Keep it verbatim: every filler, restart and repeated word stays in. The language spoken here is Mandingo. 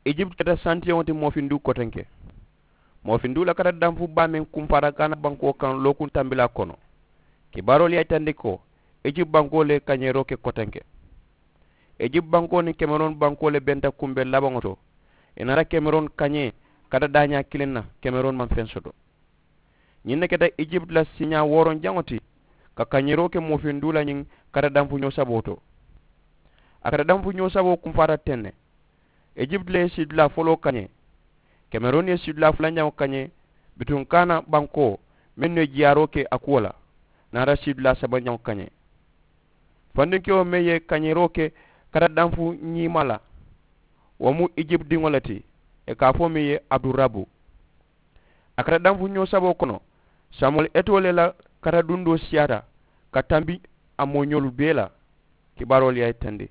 Ijipti keta santiyaŋo ti moofinduu kotenke. Moofinduu la kata danfu baa meŋ kumfaata gaana bankoo kaŋ lookuŋ tambilaa kono. Kibaaroolu ye a yitandi ko ijipti bankoo le ye kañeeroo ke kotenke. Ijipti bankoo niŋ kemeroon bankoo le benta kumbee labaŋo to. Ì naata kemeroon kañee kata daañaa kiliŋ na. Kemeroon maŋ feŋ soto. Ñiŋ ne keta ijipti la siiñaa wooroŋ jaŋo ti ka kañeeroo ke moofinduu la ñiŋ kata danfu ñoo saboo to. A kata danfu ñoo saboo kumfaata teŋ ne. Ijipti le ye siidulaa foloo kañee. Kemerooni ye siidulaa fulanjaŋo kañee. Bituŋ kaana bankoo mennu ye jiyaaroo ke a kuwo la naata siidulaa sabanjaŋo kañee. Fandinkewo meŋ ye kañeeroo ke kata danfu ñiima la wo mu ijipti diŋo le ti. Ì ka a fo meŋ ye abdurabu. A kata danfu ñoo saboo kono. Samuwel etoo le la kata dundoo siyaata ka tambi a mooñoolu bee la. Kibaaroolu ye a yitandi.